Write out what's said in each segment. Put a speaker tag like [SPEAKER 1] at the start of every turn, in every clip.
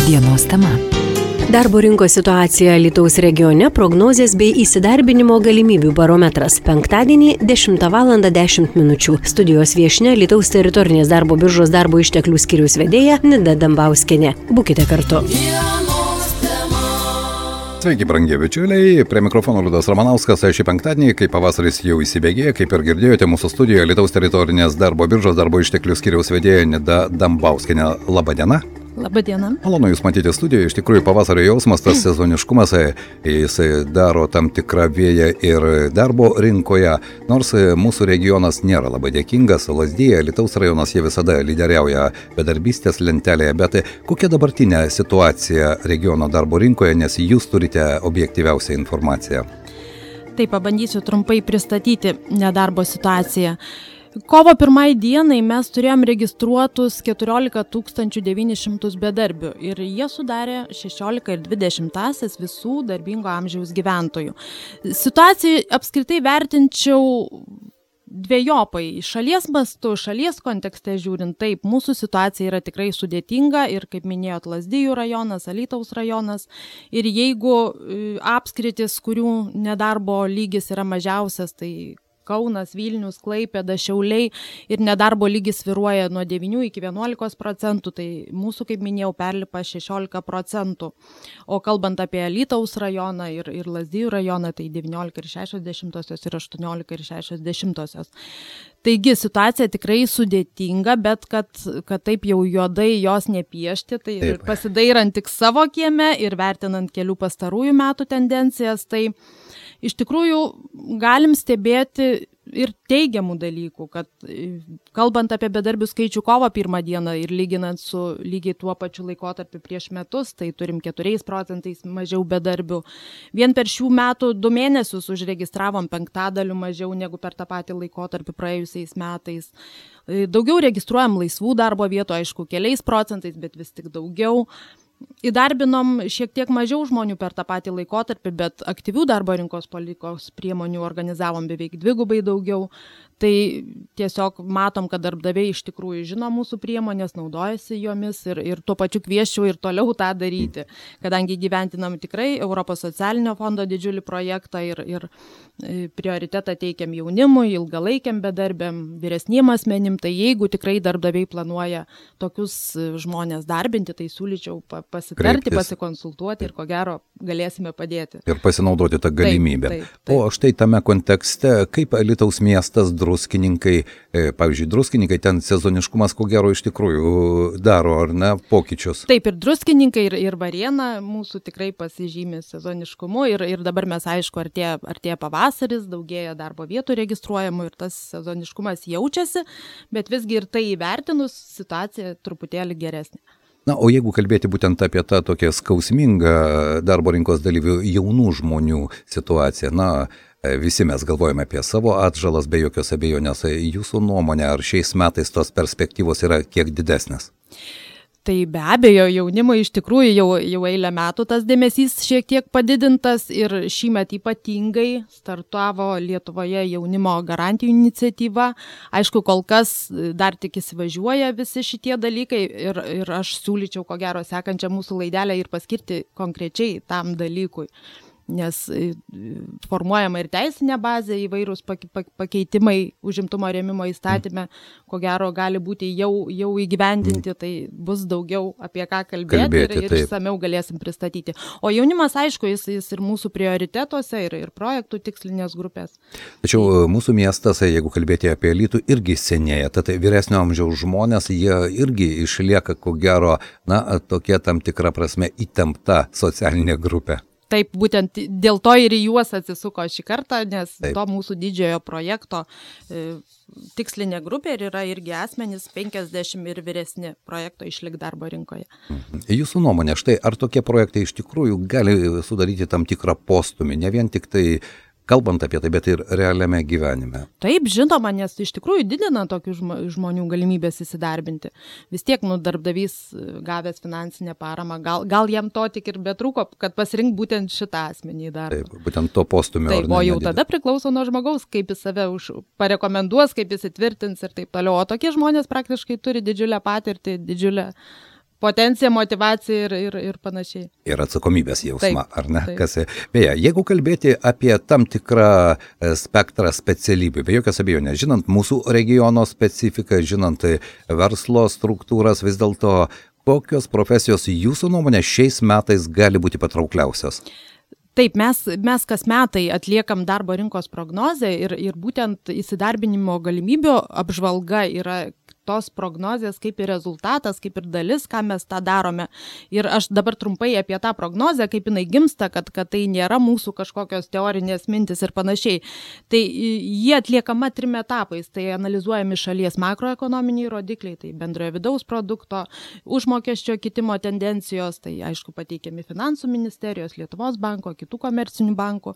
[SPEAKER 1] Dienos tema.
[SPEAKER 2] Darbo rinkos situacija Alytaus regione, prognozės bei įsidarbinimo galimybių barometras. Penktadienį 10:10 min. Studijos viešnia Alytaus teritorinės darbo biržos darbo išteklių skyriaus vedėja Nida Dambauskienė. Būkite kartu.
[SPEAKER 3] Sveiki, brangie bičiuliai, prie mikrofono Liudas Ramanauskas. Šį penktadienį, kai pavasaris jau įsibėgėjo, kaip ir girdėjote, mūsų studijoje Alytaus teritorinės darbo biržos darbo išteklių skyriaus vedėja Nida Dambauskienė. Labą dieną.
[SPEAKER 4] Labą dieną.
[SPEAKER 3] Malonu Jūs matyti studijoje. Iš tikrųjų, pavasario jausmas, tas sezoniškumas, jis daro tam tikrą vėją ir darbo rinkoje. Nors mūsų regionas nėra labai dėkingas, Lazdijai, Alytaus rajonas, jie visada lyderiauja bedarbystės lentelėje. Bet kokia dabartinė situacija regiono darbo rinkoje, nes Jūs turite objektyviausią informaciją?
[SPEAKER 4] Taip, pabandysiu trumpai pristatyti nedarbo situaciją. Kovo 1 dienai mes turėjom registruotus 14 900 bedarbių ir jie sudarė 16,2 visų darbingo amžiaus gyventojų. Situaciją apskritai vertinčiau dvejopai. Šalies mastu, šalies kontekste žiūrint, taip, mūsų situacija yra tikrai sudėtinga ir, kaip minėjot, Lazdijų rajonas, Alytaus rajonas. Ir jeigu apskritis, kurių nedarbo lygis yra mažiausias, tai Kaunas, Vilnius, Klaipėda, Šiauliai ir nedarbo lygis svyruoja nuo 9 iki 11%, tai mūsų, kaip minėjau, perlipa 16%. O kalbant apie Alytaus rajoną ir Lazdijų rajoną, tai 19,6 ir 18,6. Taigi situacija tikrai sudėtinga, bet kad taip jau juodai jos nepiešti, tai taip. Pasidairant tik savo kieme ir vertinant kelių pastarųjų metų tendencijas, tai iš tikrųjų galim stebėti ir teigiamų dalykų, kad kalbant apie bedarbių skaičių kovo 1 dieną ir lyginant su lygiai tuo pačiu laikotarpiu prieš metus, tai turim 4% mažiau bedarbių. Vien per šių metų 2 mėnesius užregistravom 5% mažiau negu per tą patį laikotarpį praėjusiais metais. Daugiau registruojam laisvų darbo vietų, aišku, keliais procentais, bet vis tik daugiau. Įdarbinom šiek tiek mažiau žmonių per tą patį laikotarpį, bet aktyvių darbo rinkos politikos priemonių organizavom beveik 2x daugiau. Tai tiesiog matom, kad darbdaviai iš tikrųjų žino mūsų priemonės, naudojasi jomis ir tuo pačiu kviesčiau ir toliau tą daryti, kadangi gyventinam tikrai Europos socialinio fondo didžiulį projektą ir prioritetą teikiam jaunimui, ilgalaikiam bedarbiam, vyresniem asmenim, tai jeigu tikrai darbdaviai planuoja tokius žmonės darbinti, tai siūlyčiau pasitarti, pasikonsultuoti ir ko gero galėsime padėti.
[SPEAKER 3] Ir pasinaudoti tą galimybę.
[SPEAKER 4] Taip.
[SPEAKER 3] O štai tame kontekste, kaip Alytaus miestas, druskininkai, pavyzdžiui, druskininkai, ten sezoniškumas ko gero iš tikrųjų daro, ar ne, pokyčius?
[SPEAKER 4] Taip, ir druskininkai, ir Varėna mūsų tikrai pasižymė sezoniškumu ir dabar mes, aišku, artėja pavasaris, daugėja darbo vietų registruojamų ir tas sezoniškumas jaučiasi, bet visgi ir tai įvertinus situacija truputėlį geresnė.
[SPEAKER 3] Na, o jeigu kalbėti būtent apie tą tokią skausmingą darbo rinkos dalyvių jaunų žmonių situaciją, na, visi mes galvojame apie savo atžalas, be jokios abejonės. Jūsų nuomonė, ar šiais metais tos perspektyvos yra kiek didesnės?
[SPEAKER 4] Tai be abejo, jaunimui iš tikrųjų jau eilę metų tas dėmesys šiek tiek padidintas ir šįmet ypatingai startavo Lietuvoje jaunimo garantijų iniciatyva. Aišku, kol kas dar tik įsivažiuoja visi šitie dalykai ir aš siūlyčiau ko gero sekančią mūsų laidelę ir paskirti konkrečiai tam dalykui. Nes formuojama ir teisinė bazė, įvairūs pakeitimai užimtumo rėmimo įstatyme, ko gero gali būti jau įgyvendinti, tai bus daugiau apie ką kalbėti ir išsamiau galėsim pristatyti. O jaunimas, aišku, jis ir mūsų prioritetuose, ir projektų tikslinės grupės.
[SPEAKER 3] Tačiau mūsų miestas, jeigu kalbėti apie Alytų, irgi senėja. Tad vyresnio amžiaus žmonės, jie irgi išlieka, ko gero, na, tokia tam tikra prasme įtempta socialinė grupė.
[SPEAKER 4] Taip, būtent dėl to ir į juos atsisuko šį kartą, nes to mūsų didžiojo projekto tikslinė grupė ir yra irgi asmenys 50 ir vyresni projekto išlik darbo rinkoje.
[SPEAKER 3] Jūsų nuomonė, štai ar tokie projektai iš tikrųjų gali sudaryti tam tikrą postumį, ne vien tik tai kalbant apie tai, bet ir realiame gyvenime.
[SPEAKER 4] Taip, žinoma, nes iš tikrųjų didina tokių žmonių galimybės įsidarbinti. Vis tiek darbdavys gavęs finansinę paramą, gal jam to tik ir betrūko, kad pasirink būtent šitą asmenį darbą.
[SPEAKER 3] Taip, būtent to postumio.
[SPEAKER 4] Taip, o jau tada priklauso nuo žmogaus, kaip jis save parekomenduos, kaip jis įtvirtins ir taip toliau. O tokie žmonės praktiškai turi didžiulę patirtį, didžiulę potenciją, motyvaciją ir panašiai.
[SPEAKER 3] Ir atsakomybės jausmą,
[SPEAKER 4] Taip,
[SPEAKER 3] ar ne?
[SPEAKER 4] taip.
[SPEAKER 3] Beje, jeigu kalbėti apie tam tikrą spektrą specialybių, be jokios abejonės, žinant mūsų regiono specifiką, žinant verslo struktūras, vis dėlto kokios profesijos jūsų nuomonė šiais metais gali būti patraukliausios?
[SPEAKER 4] Taip, mes kas metai atliekam darbo rinkos prognozę ir būtent įsidarbinimo galimybių apžvalga yra tos prognozės kaip ir rezultatas, kaip ir dalis, ką mes tą darome. Ir aš dabar trumpai apie tą prognozę, kaip jinai gimsta, kad tai nėra mūsų kažkokios teorinės mintis ir panašiai. Tai jie atliekama 3 etapais. Tai analizuojami šalies makroekonominiai rodikliai, tai bendrojo vidaus produkto, užmokesčio kitimo tendencijos, tai aišku pateikiami Finansų ministerijos, Lietuvos banko, kitų komercinių bankų.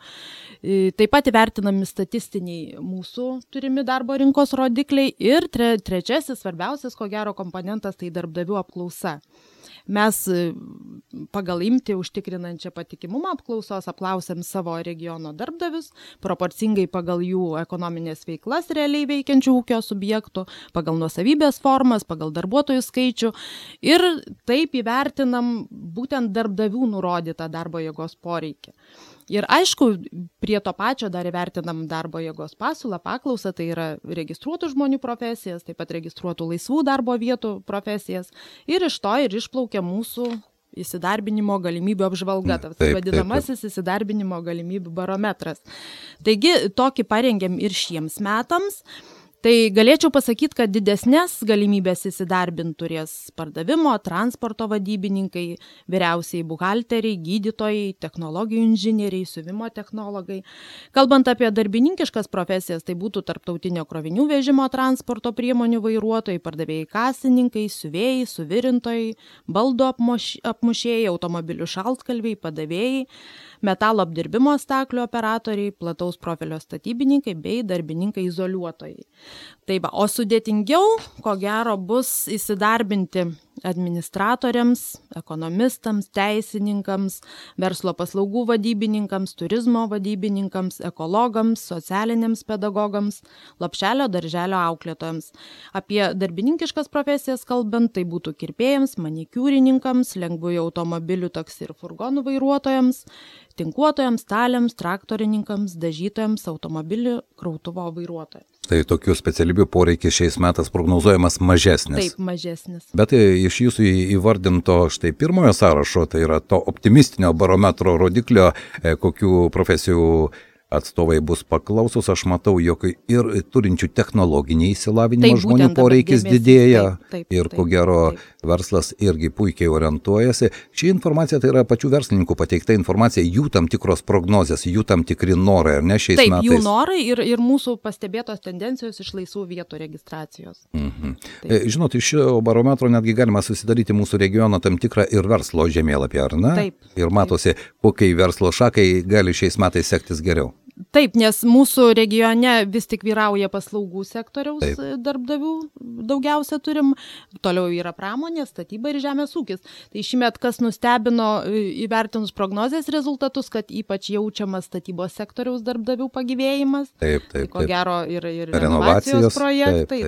[SPEAKER 4] Taip pat įvertinami statistiniai mūsų turimi darbo rinkos rodikliai ir trečiasis svarbiausias, ko gero, komponentas tai darbdavių apklausa. Mes pagal imtį užtikrinančią patikimumą apklausos apklausėm savo regiono darbdavius, proporcingai pagal jų ekonominės veiklas realiai veikiančių ūkio subjektų, pagal nuosavybės formas, pagal darbuotojų skaičių ir taip įvertinam būtent darbdavių nurodytą darbo jėgos poreikį. Ir aišku, prie to pačio dar įvertinam darbo jėgos pasiūlą, paklausą, tai yra registruotų žmonių profesijas, taip pat registruotų laisvų darbo vietų profesijas ir iš to ir išplaukia mūsų įsidarbinimo galimybių apžvalga, tas vadinamasis įsidarbinimo galimybių barometras. Taigi, tokį parengėm ir šiems metams. Tai galėčiau pasakyti, kad didesnės galimybės įsidarbinti turės pardavimo, transporto vadybininkai, vyriausiai buhalteriai, gydytojai, technologijų inžinieriai, siuvimo technologai. Kalbant apie darbininkiškas profesijas, tai būtų tarptautinio krovinių vežimo transporto priemonių vairuotojai, pardavėjai kasininkai, siuvėjai, suvirintojai, baldų apmušėjai, automobilių šaltkalviai, padavėjai, metalo apdirbimo staklių operatoriai, plataus profilio statybininkai bei darbininkai izoliuotojai. Taip, o sudėtingiau, ko gero, bus įsidarbinti administratoriams, ekonomistams, teisininkams, verslo paslaugų vadybininkams, turizmo vadybininkams, ekologams, socialiniams pedagogams, lopšelio darželio auklėtojams. Apie darbininkiškas profesijas kalbant, tai būtų kirpėjams, manikiūrininkams, lengvųjų automobilių, taksi ir furgonų vairuotojams, tinkuotojams, staliams, traktorininkams, dažytojams, automobilių krautuvo vairuotojams.
[SPEAKER 3] Tai tokių specialybių poreikis šiais metais prognozuojamas mažesnis.
[SPEAKER 4] Taip, mažesnis.
[SPEAKER 3] Bet iš jūsų įvardinto štai pirmojo sąrašo, tai yra to optimistinio barometro rodiklio, kokių profesijų atstovai bus paklausus, aš matau, jog ir turinčių technologinį įsilavinimą žmonių poreikis didėja ir ko gero verslas irgi puikiai orientuojasi. Ši informacija tai yra pačių verslininkų pateikta informacija, jų tam tikros prognozės, jų tam tikri norai, ar ne šiais metais?
[SPEAKER 4] Taip, jų norai ir mūsų pastebėtos tendencijos iš laisvų vietų registracijos.
[SPEAKER 3] Žinot, iš šio barometro netgi galima susidaryti mūsų regiono tam tikrą ir verslo žemėlapį, ar ne?
[SPEAKER 4] Taip.
[SPEAKER 3] Ir matosi, kokiai verslo šakai gali šiais metais sektis geriau.
[SPEAKER 4] Taip, nes mūsų regione vis tik vyrauja paslaugų sektoriaus darbdavių, daugiausia turim, toliau yra pramonė, statyba ir žemės ūkis. Tai šįmet kas nustebino įvertinus prognozės rezultatus, kad ypač jaučiamas statybos sektoriaus darbdavių pagyvėjimas.
[SPEAKER 3] Taip.
[SPEAKER 4] Ko gero ir renovacijos projektai,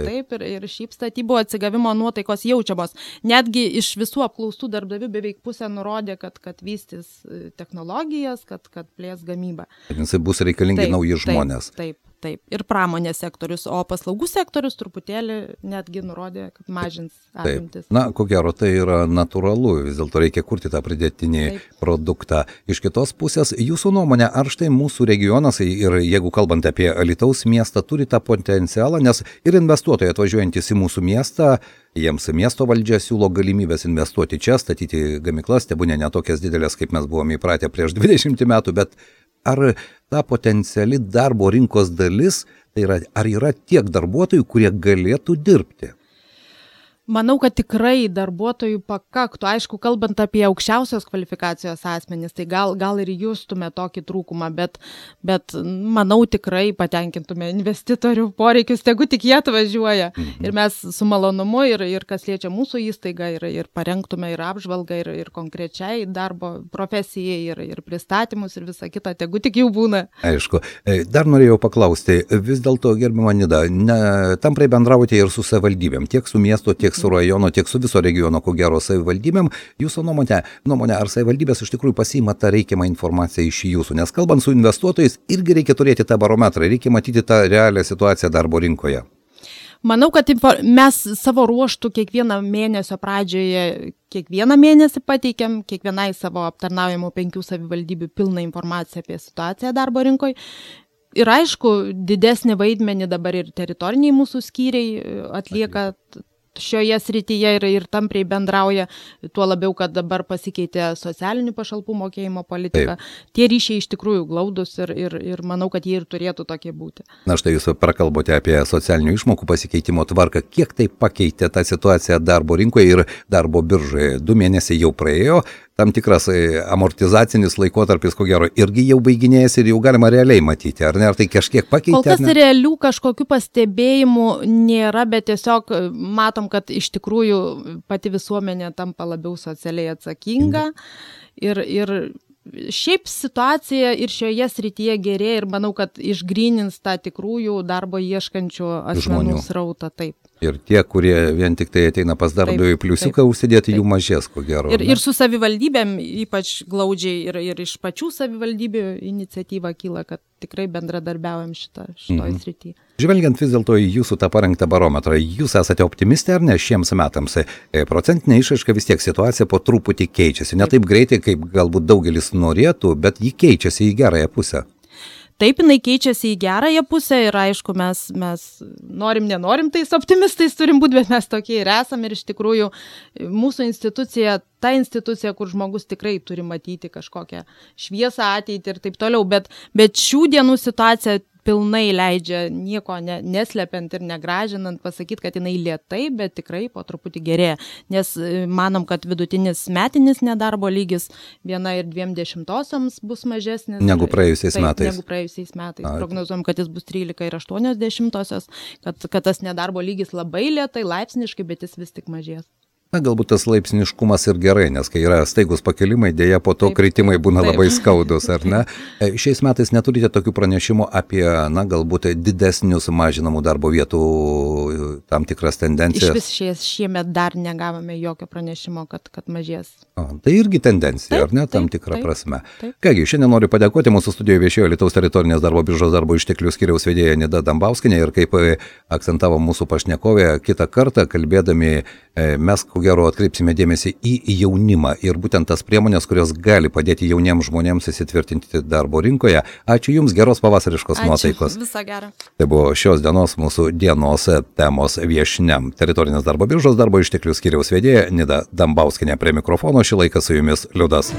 [SPEAKER 4] ir šiaip statybų atsigavimo nuotaikos jaučiamos. Netgi iš visų apklaustų darbdavių beveik pusė nurodė, kad vystys technologijas, kad plės gamybą.
[SPEAKER 3] Jisai bus reikalingi nauji žmonės.
[SPEAKER 4] Taip. Ir pramonės sektorius, o paslaugų sektorius truputėlį netgi nurodė, kad mažins apimtis.
[SPEAKER 3] Na, ko gero, tai yra natūralu, vis dėlto reikia kurti tą pridėtinį produktą. Iš kitos pusės, jūsų nuomonė, ar štai mūsų regionas, ir jeigu kalbant apie Alytaus miestą, turi tą potencialą, nes ir investuotojai atvažiuojantys į mūsų miestą, jiems miesto valdžia siūlo galimybės investuoti čia, statyti gamyklas, tebūnė ne tokias didelės, kaip mes buvome įpratę prieš 20 metų, bet ar ta potenciali darbo rinkos dalis, tai yra, ar yra tiek darbuotojų, kurie galėtų dirbti?
[SPEAKER 4] Manau, kad tikrai darbuotojų pakaktų. Aišku, kalbant apie aukščiausios kvalifikacijos asmenys, tai gal ir justume tokį trūkumą, bet manau tikrai patenkintume investitorių poreikius, tegu tik jie atvažiuoja. Ir mes su malonumu ir kas liečia mūsų įstaigą ir parengtume ir apžvalgą ir konkrečiai darbo profesijai ir pristatymus ir visą kitą, tegu tik jų būna.
[SPEAKER 3] Aišku. Dar norėjau paklausti, vis dėlto, gerbiama Nida, tamprai bendraujate ir su savivaldybėm, tiek su miesto, tiek tiek su rajono, tiek su viso regiono, ko gero savivaldybėm. Jūsų nuomonė, ar savivaldybės iš tikrųjų pasiima tą reikiamą informaciją iš jūsų? Nes kalbant su investuotojais, irgi reikia turėti tą barometrą, reikia matyti tą realią situaciją darbo rinkoje.
[SPEAKER 4] Manau, kad mes savo ruoštų kiekvieną mėnesio pradžioje, kiekvieną mėnesį pateikiam kiekvienai savo aptarnaujamų 5 savivaldybių pilną informaciją apie situaciją darbo rinkoje. Ir aišku, didesnį vaidmenį dabar ir teritoriniai mūsų skyriai atlieka šioje srityje ir tampriai bendrauja, tuo labiau, kad dabar pasikeitė socialinių pašalpų mokėjimo politika. Taip. Tie ryšiai iš tikrųjų glaudus ir manau, kad jie ir turėtų tokie būti.
[SPEAKER 3] Na štai jūs prakalbote apie socialinių išmokų pasikeitimo tvarką. Kiek tai pakeitė tą situaciją darbo rinkoje ir darbo biržoje? 2 mėnesiai jau praėjo, tam tikras amortizacinis laikotarpis, ko gero, irgi jau baiginėjasi ir jau galima realiai matyti. Ar ne? Ar tai kažkiek pakeitė?
[SPEAKER 4] Kol kas realių kažkokių pastebėjimų nėra, bet tiesiog matom, kad iš tikrųjų pati visuomenė tampa labiau socialiai atsakinga ir šiaip situacija ir šioje srityje gerėja ir manau, kad išgrynins tą tikrųjų darbo ieškančių asmenų srautą. Taip.
[SPEAKER 3] Ir tie, kurie vien tik tai ateina pas darbdavį pliusiuką užsidėti, jų mažės, ko gero.
[SPEAKER 4] Ir su savivaldybėm ypač glaudžiai ir iš pačių savivaldybių iniciatyva kyla, kad tikrai bendradarbiaujam šitoj srityje.
[SPEAKER 3] Žvelgiant vis dėlto į jūsų tą parengtą barometrą, jūs esate optimistė ar ne šiems metams? Procentinė išraiška vis tiek situacija po truputį keičiasi. Ne taip greitai, kaip galbūt daugelis norėtų, bet ji keičiasi į gerąją pusę.
[SPEAKER 4] Taip, jinai keičiasi į gerąją pusę ir aišku, mes nenorim tais optimistais turim būti, bet mes tokie ir esame ir iš tikrųjų mūsų institucija, ta institucija, kur žmogus tikrai turi matyti kažkokią šviesą ateitį ir taip toliau, bet šių dienų situacija pilnai leidžia nieko neslepiant ir negražinant pasakyti, kad jinai lėtai, bet tikrai po truputį gerėja, nes manom, kad vidutinis metinis nedarbo lygis 1,2 bus mažesnis
[SPEAKER 3] negu praėjusiais metais.
[SPEAKER 4] Prognozuojam, kad jis bus 13,8, kad tas nedarbo lygis labai lėtai, laipsniškai, bet jis vis tik mažės.
[SPEAKER 3] Na, galbūt tas laipsniškumas ir gerai, nes kai yra staigus pakilimai, dėja po to kritimai būna labai skaudus, ar ne? Šiais metais neturite tokių pranešimų apie, galbūt didesnius mažinamų darbo vietų tam tikras tendencijas?
[SPEAKER 4] Iš vis šiemet dar negavome jokio pranešimo, kad mažės.
[SPEAKER 3] Tai irgi tendencija, ar ne, tam tikrą prasme. Kągi, šiandien noriu padėkoti, mūsų studijoje viešėjo Lietuvos teritorinės darbo biržos darbo išteklių skyriaus vedėja Nida Dambauskienė ir kaip akcentavo mūsų pašnekovė, kitą kartą kalbėdami mes ko gero atkreipsime dėmesį į jaunimą ir būtent tas priemonės, kurios gali padėti jauniems žmonėms įsitvirtinti darbo rinkoje. Ačiū Jums, geros pavasariškos nuotaikos.
[SPEAKER 4] Viso gero.
[SPEAKER 3] Tai buvo šios dienos mūsų dienos temos viešnia. Teritorinės darbo biržos darbo išteklių skyriaus vedėja Nida Dambauskienė prie mikrofono. Šį laiką su Jumis Liudas.